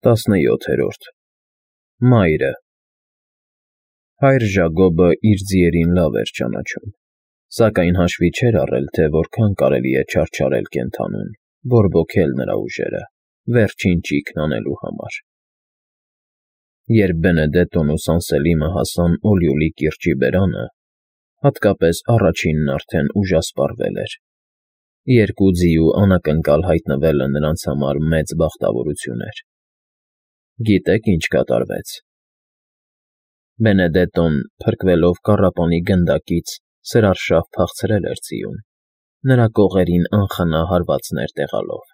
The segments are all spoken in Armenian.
17-րդ Մայրը Հայր Ժագոբը իր ձիերին լավ էր ճանաչում, սակայն հաշվի չէր առել, թե որքան կարելի է չարչարել կենդանուն, բորբոքել նրա ուժերը, վերջին ճիգն անելու համար։ Երբ Բենեդետտոն ու Սանսելիմը հասան Օլիոլի կիրճի բերանը, հատկապես առաջինն արդեն ուժասպառվել էր։ Երկու ձիու անակնկալ հայտնվելը նրանց համար մեծ բախտավորություն էր։ Գիտե՞ք ինչ կատարվեց։ Բենեդետտոն, փրկվելով կառապանի գնդակից, սրարշավ փախցրել էր ձիուն, նրա կողերին անխնա հարվածներ տեղալով։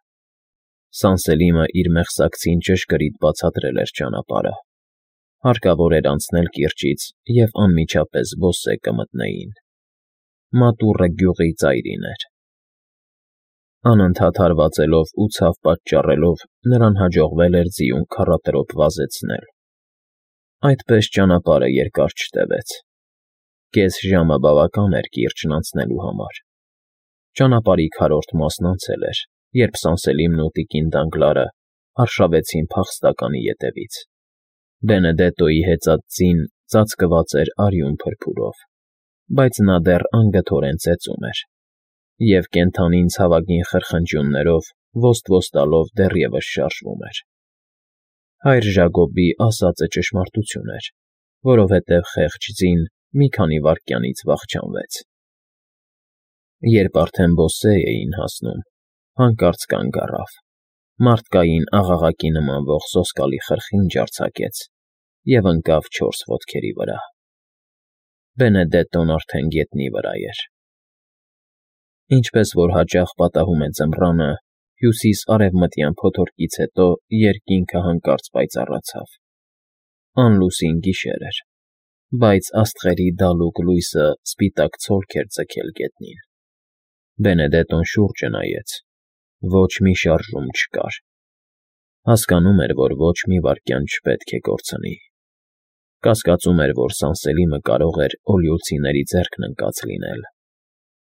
Սանսելիմը իր մեղսակցին ճշգրիտ բացատրել էր ճանապարհը։ Հարկավոր էր անցնել կիրճից և անմիջապես բոսե կմտնեին։ Մատուռը գյուղի ծայրին էր։ Անընդհատ հարվածելով ու ցավ պատճառելով նրան հաջողվել էր ձիուն քառատրոփ վազեցնել։ Այդպես ճանապարհը երկար չտևեց։ Կես ժամը բավական էր կիրճն անցնելու համար։ Ճանապարհի քառորդ մասն անցել էր, երբ Սանսելիմն ու տիկին Դանգլարը արշավեցին փախստականի ետևից։ Բենեդետտոյի հեծած ձին ծածկված էր արյուն փրփուրով, բայց նա դեռ անգթորեն ծեծում էր, և կենդանին ցավագին խրխնջյուններով ոստ տալով դեռևս շարժվում էր։ Հայր Ժագոբի ասածը ճշմարտություն էր, որովհետև խեղճ ձին մի քանի վայրկյանից վախճանվեց։ Երբ արդեն բոսե էին հասնում, հանկարծ կանգ առավ, մարդկային աղաղակի նմանվող սոսկալի խրխինջ արձակեց և ընկավ 4 ոտքերի վրա։ Բենեդետտոն արդեն գետնի վրա էր։ Ինչպես որ հաճախ պատահում է ձմռանը, հյուսիս֊արևմտյան փոթորկից հետո երկինքը հանկարծ պայծառացավ։ Անլուսին գիշեր էր, բայց աստղերի դալուկ լույսը սպիտակ ցոլք էր ձգել գետնին։ Բենեդետտոն շուրջը նայեց։ Ոչ մի շարժում չկար։ Հասկանում էր, որ ոչ մի վայրկյան չպետք է կորցնի։ Կասկածում էր, որ Սանսելիմը կարող էր օլիոլցիների ձեռքն ընկած լինել։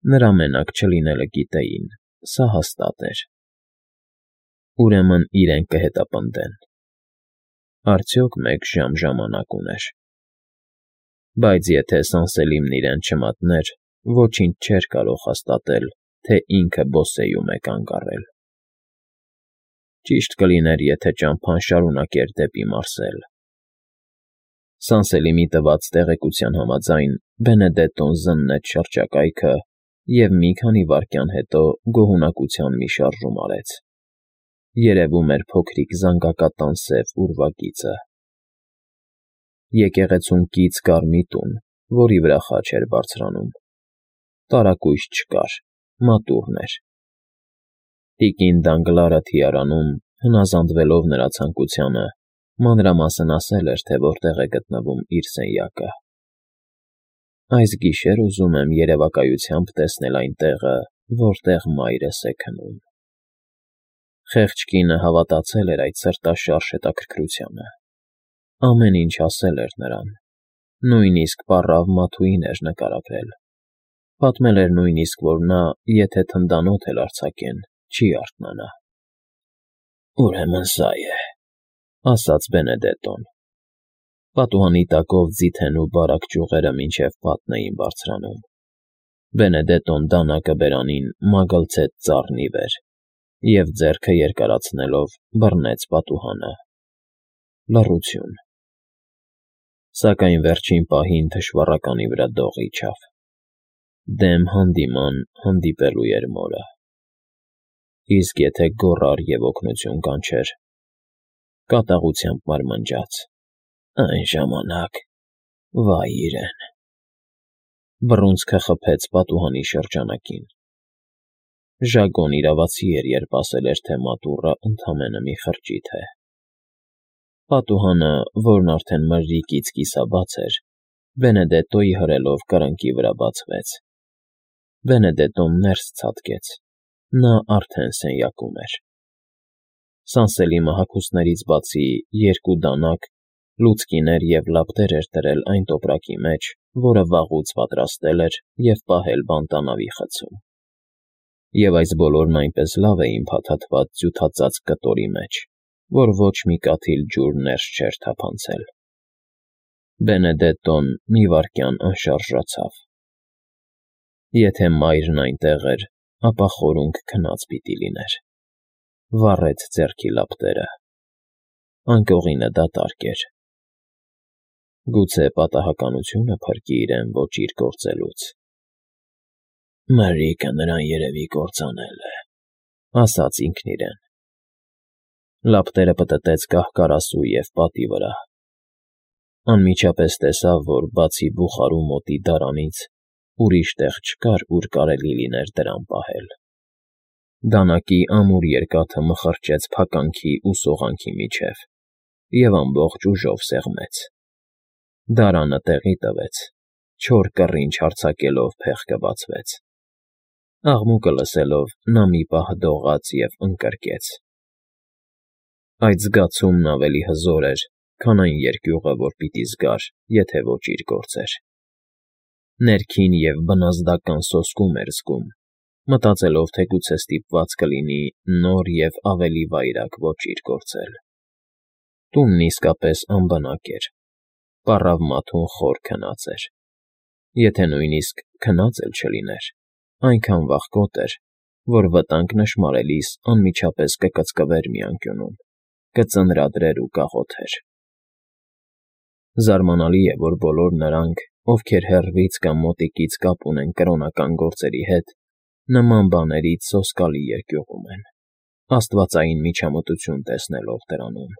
Նրա մենակ չլինելը գիտեին, սա հաստատ էր։ Ուրեմն իրենք կհետապնդեն։ Արդյոք 1 ժամ ժամանակ ուներ։ Բայց եթե Սանսելիմն իրեն չմատներ, ոչինչ չէր կարող հաստատել, թե ինքը բոսեում է կանգ առել։ Ճիշտ կլիներ, եթե ճամփան շարունակեր դեպի Մարսել։ Սանսելիմի տված տեղեկության համաձայն Բենեդետտոն զննեց շրջակայքը և մի քանի վայրկյան հետո գոհունակության մի շարժում արեց։ Երևում էր փոքրիկ զանգակատան սև ուրվագիծը։ Եկեղեցուն կից կար մի տուն, որի վրա խաչ էր բարձրանում։ Տարակույս չկար, մատուռն էր։ Տիկին Դանգլարը թիարանում, հնազանդվելով նրա ցանկությանը, մանրամասն ասել էր, թե որտեղ է գտնվում իր սենյակը։ Այս գիշեր ուզում եմ երևակայությամբ տեսնել այն տեղը, որտեղ մայրս է քնում։ Խեղճ կինը հավատացել էր այդ սրտաշարժ հետաքրքրությանը։ Ամեն ինչ ասել էր նրան, նույնիսկ պառավ Մաթուին էր նկարագրել։ Պատմել էր նույնիսկ, որ նա, եթե թնդանոթ էլ արձակեն, չի արթնանա։ Ուրեմն սա է, ասաց Բենեդետտոն։ Պատուհանի տակով ձիթեն ու բարակ ճյուղերը մինչև պատն էին բարձրանում։ Բենեդետտոն դանակը բերանին մագլցեց ծառն ի վեր և ձեռքը երկարացնելով բռնեց պատուհանը։ Լռություն։ Սակայն վերջին պահին թշվառականի վրա դող իջավ։ Դեմ հանդիման հանդիպելու էր մորը։ Իսկ եթե գոռար և օգնություն կանչեր, կատաղությամբ մարմնջաց. այն ժամանակ վայ իրեն։ Բռունցքը խփեց պատուհանի շրջանակին։ Ժագոն իրավացի էր, երբ ասել էր, թե մատուռը ընդամենը մի խրճիթ է։ Պատուհանը, որն արդեն մրրիկից կիսաբաց էր, Բենեդետտոյի հրելով կրնկի վրա բացվեց։ Բենեդետտոն ներս ցատկեց։ Նա արդեն սենյակում էր։ Սանսելիմը հագուստներից բացի 2 դանակ, լուցկիներ և լապտեր էր դրել այն տոպրակի մեջ, որը վաղուց պատրաստել էր և պահել բանտանավի խցում։ Եվ այս բոլորն այնպես լավ էին փաթաթված ձյութածածկ կտորի մեջ, որ ոչ մի կաթիլ ջուր ներս չէր թափանցել։ Բենեդետտոն մի վայրկյան անշարժացավ։ Եթե մայրն այնտեղ էր, ապա խորունգ քնած պիտի լիներ։ Վառեց ձեռքի լապտերը։ Անկողինը դատարկ էր։ Գուցե պատահականությունը փրկի իրեն ոճիր գործելուց։ Մրրիկը նրան երևի կործանել է, ասաց ինքն իրեն։ Լապտերը պտտեց կահ-կարասու և պատի վրա։ Անմիջապես տեսավ, որ բացի բուխարու մոտի դարանից ուրիշ տեղ չկար, ուր կարելի լիներ դրամ պահել։ Դանակի ամուր երկաթը մխրճեց փականքի ու սողանքի միջև և ամբողջ ուժով սեղմեց։ Դարանը տեղի տվեց, չոր կռինչ հարձակելով փեղկը բացվեց։ Աղմուկը լսելով՝ նա մի պահ դողաց և ընկրկեց։ Այդ զգացումն ավելի հզոր էր, քան այն երկյուղը, որ պիտի զգար, եթե ոճիր գործեր։ Ներքին և բնազդական սոսկում էր զգում, մտածելով, թե գուցե ստիպված կլինի նոր և ավելի վայրագ ոճիր գործել։ Տունն իսկապես անբնակ էր, պառավ մաթուն խոր քնած էր։ Եթե նույնիսկ քնած էլ չլիներ, այնքան վախկոտ էր, որ վտանգ նշմարելիս անմիջապես կկծկվեր մի անկյունում, կծնրադրեր ու կաղոթեր։ Զարմանալի է, որ բոլոր նրանք, ովքեր հեռվից կամ մոտիկից կապ ունեն կրոնական գործերի հետ, նման բաներից սոսկալի երկյուղում են, աստվածային միջամտություն տեսնելով դրանում։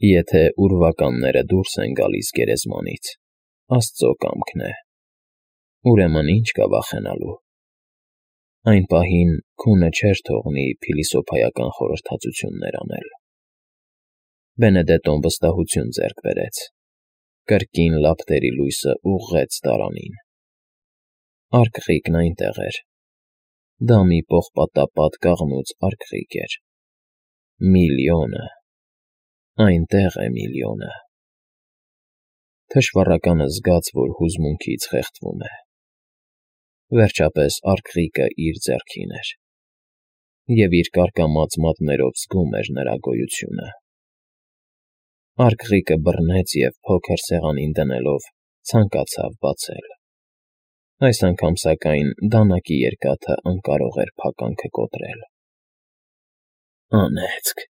Եթե ուրվականները դուրս են գալիս գերեզմանից, Աստծո կամքն է, ուրեմն ինչ կա վախենալու։ Այն պահին քունը չէր թողնի փիլիսոփայական խորհրդածություններ անել։ Բենեդետտոն վստահություն ձեռք բերեց։ Կրկին լապտերի լույսը ուղղեց դարանին։ Արկղիկն այնտեղ էր։ Դա մի պողպատապատ կաղնուց արկղիկ էր։ Միլիոնը։ Այնտեղ է միլիոնը։ Թշվառականը զգաց, որ հուզմունքից խեղդվում է։ Վերջապես արկղիկը իր ձեռքին էր, և իր կարկամած մատներով զգում էր նրա գոյությունը։ Արկղիկը բռնեց և փոքր սեղանին դնելով ցանկացավ բացել։ Այս անգամ, սակայն, դանակի երկաթը անկարող էր փականքը կոտրել։ Անեծք,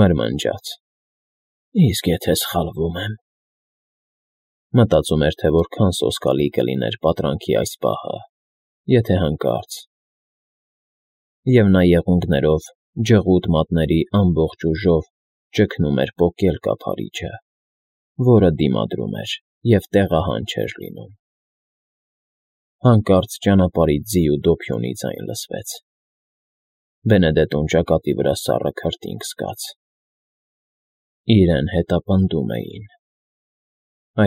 մրմնջաց։ Իսկ եթե սխալվում եմ։ Մտածում էր, թե որքան սոսկալի կլիներ պատրանքի այս պահը, եթե հանկարծ։ Եվ նա եղունգներով, ջղուտ մատների ամբողջ ուժով ճգնում էր պոկել կափարիչը, որը դիմադրում էր և տեղահան չէր լինում։ Հանկարծ ճանապարհից ձի ու դոփյոնի ձայն լսվեց։ Բենեդետտոն ճակատի վրա սառը քրտինք զգաց։ Իրեն հետապնդում էին։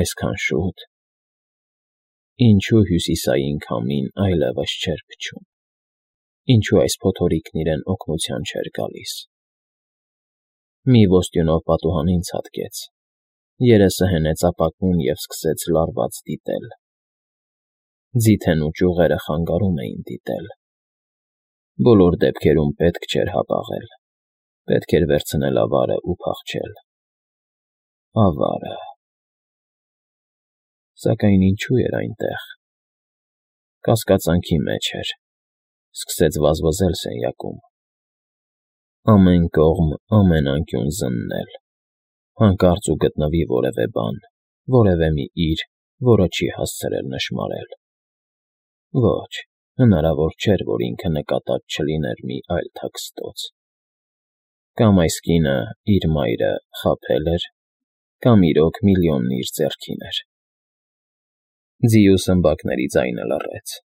Այսքան շուտ։ Ինչու հյուսիսային քամին այլևս չէր փչում։ Ինչու այս փոթորիկն իրեն օգնության չէր գալիս։ Մի ոստյունով պատուհանին ցատկեց, երեսը հենեց ապակուն և սկսեց լարված դիտել։ Ձիթեն ու ճյուղերը խանգարում էին դիտել։ Բոլոր դեպքերում պետք չէր հապաղել։ Պետք էր վերցնել ավարը ու փախչել։ Ավարը։ Սակայն ինչու էր այնտեղ։ Կասկածանքի մեջ էր։ Սկսեց վազվզել սենյակում։ Ամեն կողմ, ամեն անկյուն զննել։ Հանկարծ ու գտնվի որևէ բան, որևէ մի իր, որը չի հասցրել նշմարել։ Ոչ, հնարավոր չէր, որ ինքը նկատած չլիներ մի այլ թաքստոց։ Կամ այս կինը, իր մայրը, խաբել էր, կամ իրոք միլիոնն իր ձեռքին էր։ Ձի ու սմբակների ձայնը լռեց։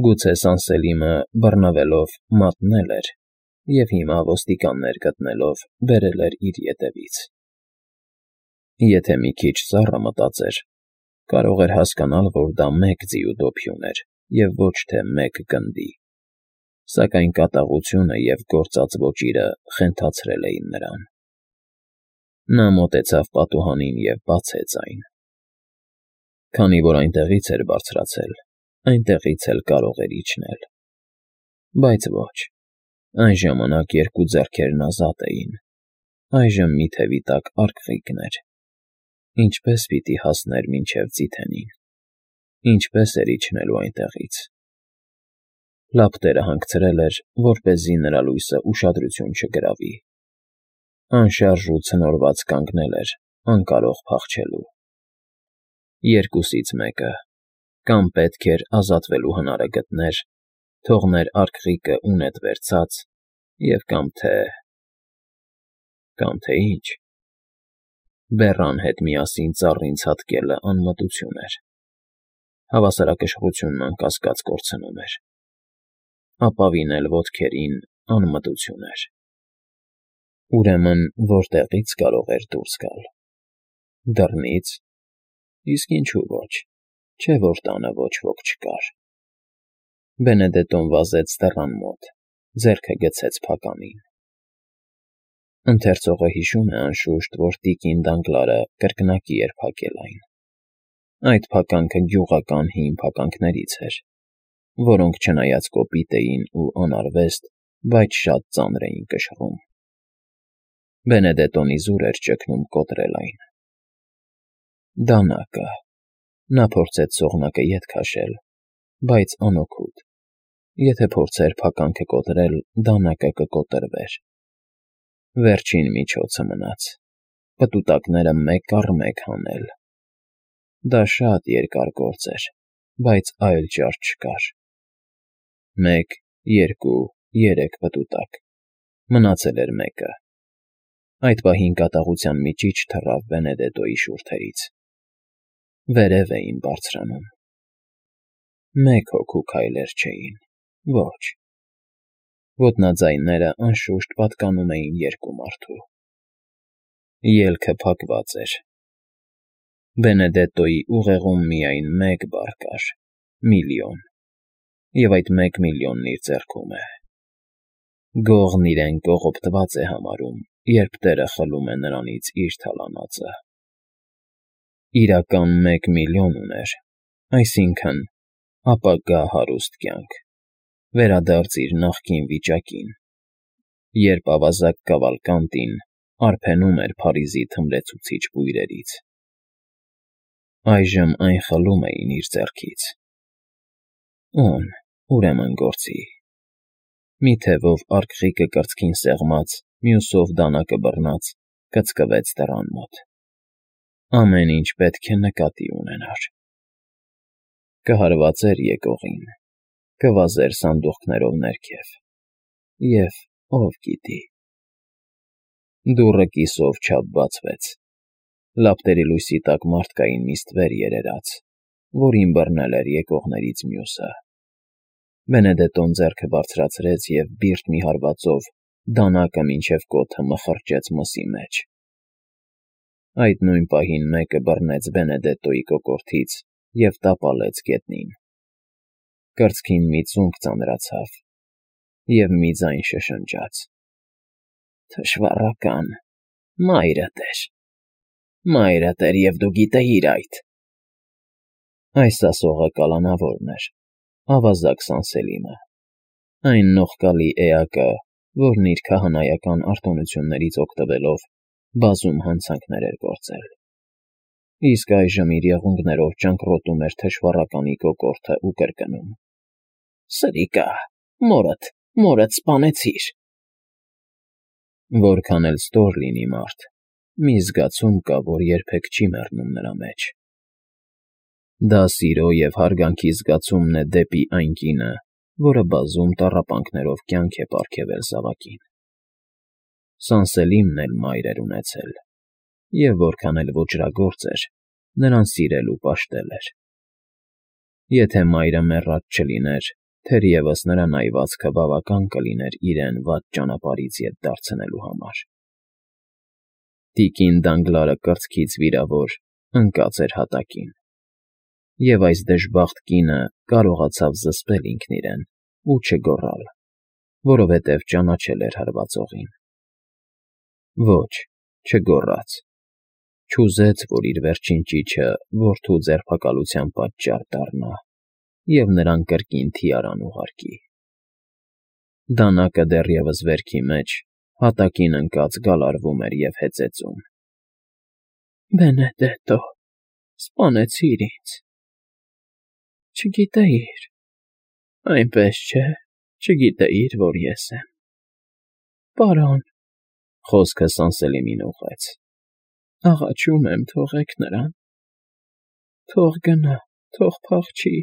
Գուցե Սանսելիմը, բռնվելով, մատնել էր և հիմա ոստիկաններ գտնելով բերել էր իր ետևից։ Եթե մի քիչ սառը մտածեր, կարող էր հասկանալ, որ դա մեկ ձի ու դոփյուն էր և ոչ թե մեկ գնդի, սակայն կատաղությունը և գործած ոճիրը խենթացրել էին նրան։ Նա մոտեցավ պատուհանին և բացեց այն։ Քանի որ այնտեղից էր բարձրացել, այնտեղից էլ կարող էր իջնել։ Բայց ոչ, Այն ժամանակ երկու ձեռքերն ազատ էին, այժմ մի թևի տակ արկղիկներ. ինչպես պիտի հասներ մինչև Ձիթենին, ինչպես էր իջնելու այնտեղից։ Լապտերը հանգցրել էր, որպեսզի նրա լույսը ուշադրություն չգրավի։ Անշարժ ու ցնորված կանգնել էր, անկարող փախչելու։ Երկուսից մեկը, կամ պետք էր ազատվելու հնարը գտներ, թողներ արկղիկը ունետ վերցած, և կամ թե ինչ։ Բեռան հետ միասին ծառին ցատկելը անմտություն էր, հավասարակշռությունն անկասկած կորցնում էր, ապավին էլ ոտքերին անմտություն էր։ Ուրեմն որտեղի՞ց կարող էր դուրս գալ։ Դռնից։ Իսկ ինչու ոչ, չէ՞ որ տանը ոչ ոք չկար։ Բենեդետոն վազեց դռան մոտ, ձեռքը գցեց փականին։ Ընթերցողը հիշում է, անշուշտ, որ տիկին Դանգլարը կրկնակի էր փակել այն։ Այդ փականքը գյուղական հին փականքներից էր, որոնք չնայած կոպիտ էին ու անարվեստ, բայց շատ ծանր էին կշռում։ Բենեդետոն իզուր էր ճգնում կոտրել այն։ Դանակը։ Նա փորձեց սողնակը ետ քաշել, բայց անօգուտ։ Եթե փորձեր փականքը կոտրել, դանակը կկոտրվեր։ Վերջին միջոցը մնաց. պտուտակները մեկ առ մեկ հանել։ Դա շատ երկար գործ էր, բայց այլ ճար չկար։ 1, 2, 3 պտուտակ։ Մնացել էր մեկը։ Այդ պահին կատաղության միջիչ թռավ Բենեդետոյի շուրթերից։ Վերև էին բարձրանում։ Մեկ հոգու քայլեր չէին, ոչ։ Ոտնաձայնները, անշուշտ, պատկանում էին երկու մարդու։ Ելքը փակված էր։ Բենեդետոյի ուղեղում միայն մեկ բառ կար՝ միլիոն, և այդ 1 միլիոնն իր ձեռքում է։ Գողն իրեն կողոպտված է համարում, երբ տերը խլում է նրանից իր թալանածը։ Իրական 1 միլիոն ուներ, այսինքն՝ ապագա հարուստ կյանք, վերադարձ իր նախկին վիճակին, երբ ավազակ Կավալկանտին արբենում էր Փարիզի թմրեցուցիչ բույրերից։ Այժմ այն խլում էին իր ձեռքից։ Ո՞ւն, ուրեմն գործի։ Մի թևով արկղիկը կրծքին սեղմած, մյուսով դանակը բռնած, կծկվեց դռան մոտ։ Ամեն ինչ պետք է նկատի ունենար։ Կհարվածեր եկողին, կվազեր սանդուղքներով ներքև, և ով գիտի։ Դուռը կիսով չափ բացվեց։ Լապտերի լույսի տակ մարդկային մի ստվեր երերաց, որին բռնել էր եկողներից մյուսը։ Բենեդետոն ձեռքը բարձրացրեց և բիրտ մի հարվածով դանակը մինչև կոթը մխրճեց մսի մեջ։ Այդ նույն պահին մեկը բռնեց Բենեդետոյի կոկորդից և տապալեց գետնին։ Կրծքին մի ծունկ ծանրացավ, և մի ձայն շշնջաց. «Թշվառական, մայրդ էր, և դու գիտեիր այդ»։ Այս ասողը կալանավորն էր, ավազակ Սանսելիմը, այն նողկալի էակը, որն իր քահանայական արտոնություններից օգտվելով բազում հանցանքներ էր գործել։ Իսկ այժմ իր եղունգներով ճանկռոտում էր թշվառականի կոկորդը ու կրկնում. «Սրիկա, մորդ սպանեցիր»։ Որքան էլ ստոր լինի մարդ, մի զգացում կա, որ երբեք չի մեռնում նրա մեջ։ Դա սիրո և հարգանքի զգացումն է դեպի այն կինը, որը բազում տառապանքներով կյանք է պարգևել զավակին։ Սանսելիմն էլ մայր էր ունեցել, և որքան էլ ոճրագործ էր, նրան սիրել ու պաշտել էր։ Եթե մայրը մեռած չլիներ, թերևս նրա նայվածքը բավական կլիներ իրեն վատ ճանապարհից ետ դարձնելու համար։ Տիկին Դանգլարը կրծքից վիրավոր ընկած էր հատակին, և այս դժբախտ կինը կարողացավ զսպել ինքն իրեն ու չգոռալ, որովհետև ճանաչել էր հարվածողին։ Ոչ, չգոռաց։ Չուզեց, որ իր վերջին ճիչը որդու ձերբակալության պատճառ դառնա և նրան կրկին թիարան ուղարկի։ Դանակը դեռևս վերքի մեջ, հատակին ընկած գալարվում էր և հեծեծում։ Բենեդետո, սպանեցիր ինձ։ Չգիտեիր, այնպես չէ, չգիտեիր, որ ես եմ։ Պարոն, խոսքը Սանսելիմին ուղղեց, աղաչում եմ, թողեք նրան, թող գնա, թող փախչի։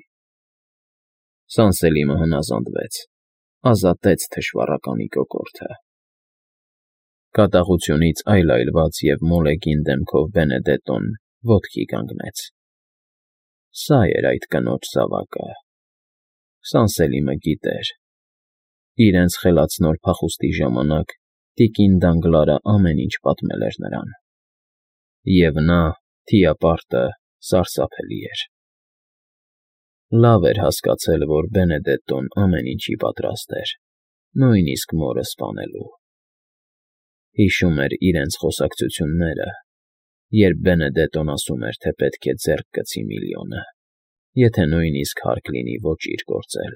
Սանսելիմը հնազանդվեց, ազատեց թշվառականի կոկորդը։ Կատաղությունից այլայլված և մոլեգին դեմքով Բենեդետոն ոտքի կանգնեց։ Սա էր այդ կնոջ զավակը։ Սանսելիմը գիտեր։ Իրենց խելացնոր փախուստի ժամանակ տիկին Դանգլարը ամեն ինչ պատմել էր նրան։ Եվ նա, թիապարտը, սարսափելի էր։ Լավ էր հասկացել, որ Բենեդետոն ամեն ինչի պատրաստ էր, նույնիսկ մորը սպանելու։ Հիշում էր իրենց խոսակցությունները, երբ Բենեդետոն ասում էր, թե պետք է ձեռք գցի միլիոնը, եթե նույնիսկ հարկ լինի ոճիր գործել։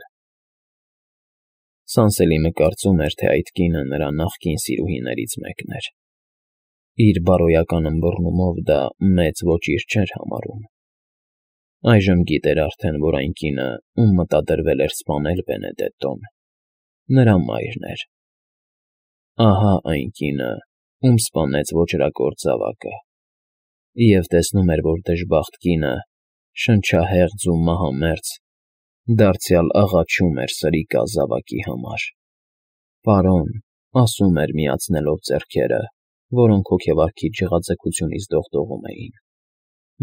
Սանսելիմը կարծում էր, թե այդ կինը նրա նախկին սիրուհիներից մեկն էր։ Իր բարոյական ըմբռնումով դա մեծ ոճիր չէր համարում։ Այժմ գիտեր արդեն, որ այն կինը, ում մտադրվել էր սպանել Բենեդետոն, նրա մայրն էր։ Ահա այն կինը, ում սպանեց ոճրագործ զավակը, և տեսնում էր, որ դժբախտ կինը, շնչահեղձ ու մահամերձ, դարձյալ աղաչում էր սրիկա զավակի համար։ Պարոն, ասում էր միացնելով ձեռքերը, որոնք հոգեվարքի ջղաձգությունից դողդողում էին.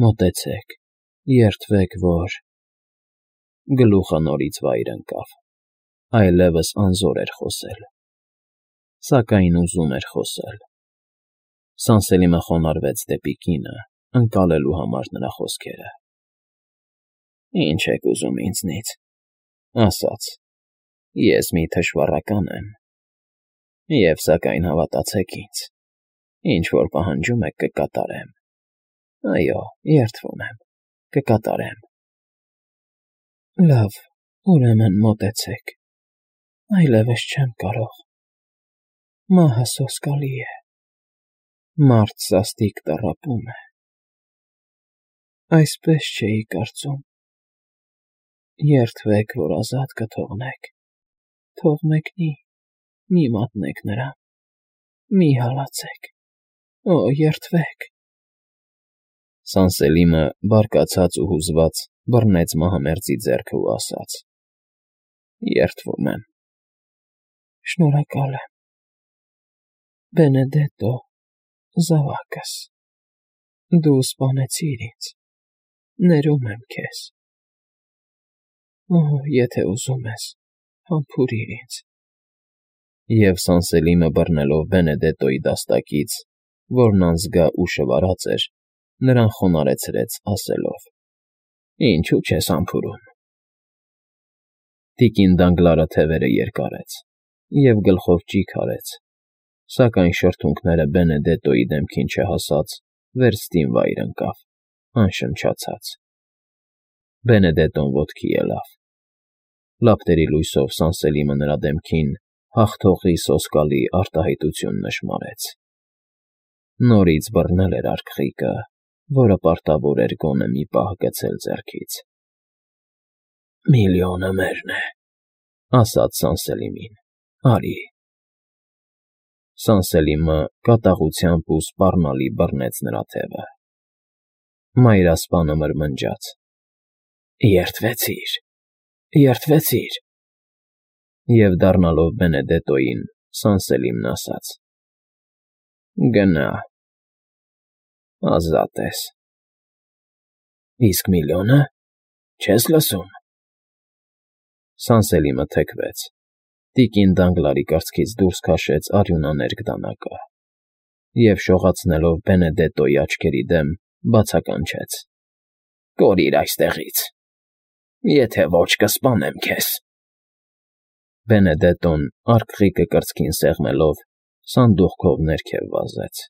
մոտեցեք, երդվեք, որ… Գլուխը նորից վայր ընկավ, այլևս անզոր էր խոսել։ Սակայն ուզում էր խոսել։ Սանսելիմը խոնարհվեց դեպի կինը, ընկալելու համար նրա խոսքերը։ Ինչ եք ուզում ինձնից, ասաց, ես մի թշվառական եմ, և սակայն հավատացեք ինձ, ինչ որ պահանջում եք կկատարեմ, այո, երդվում եմ, կկատարեմ։ Լավ, ուրեմն մոտեցեք, այլևս չեմ կարող, մահը սոսկալի է, մարդ սաստիկ տառապում է։ Այսպես չէի կարծում, երդվեք, որ ազատ կթողնեք, թող մեկնի, մի մատնեք նրան, մի հալածեք, օ, երդվեք։ Սանսելիմը, բարկացած ու հուզված, բռնեց մահամերձի ձեռքը ու ասաց. երդվում եմ։ Շնորհակալ եմ։ Բենեդետո, զավակս, դու սպանեցիր ինձ, ներում եմ քեզ։ Օ, եթե ուզում ես, համբուրիր ինձ։ Եվ Սանսելիմը բռնելով Բենեդետոյի դաստակից, որն անզգա ուշը վարած էր, նրան խոնարհեցրեց, ասելով. Ինչու չես համբուրում։ Տիկին Դանգլարը թևերը երկարեց և գլխով ճիգ արեց, սակայն շրթունքները Բենեդետոյի դեմքին չհասած, վերստին վայր ընկավ, անշնչացած։ Բենեդետոն ոտքի ելավ։ Լապտերի լույսով Սանսելիմը նրա դեմքին հաղթողի սոսկալի արտահայտություն նշմարեց։ Նորից բռնել էր արկղիկը, որը պարտավոր էր գոնե մի պահ գցել ձեռքից։ Միլիոնը մերն է, ասաց Սանսելիմին, արի։ Սանսելիմը կատաղությամբ ու սպառնալի բռնեց նրա թևը։ Մայրասպանը մրմնջաց. երդվեցիր, երդվեցիր։ Եվ դառնալով Բենեդետոյին, Սանսելիմն ասաց. գնա, ազատ ես։ Իսկ միլիոնը, չես լսում։ Սանսելիմը թեքվեց։ Տիկին Դանգլարի կրծքից դուրս քաշեց արյունաներկ դանակը և շողացնելով Բենեդետոյի աչքերի դեմ, բացականչեց. կորիր այստեղից, եթե ոչ կսպանեմ քեզ։ Բենեդետոն արկղիկը կրծքին սեղմելով, սանդուղքով ներքև վազեց։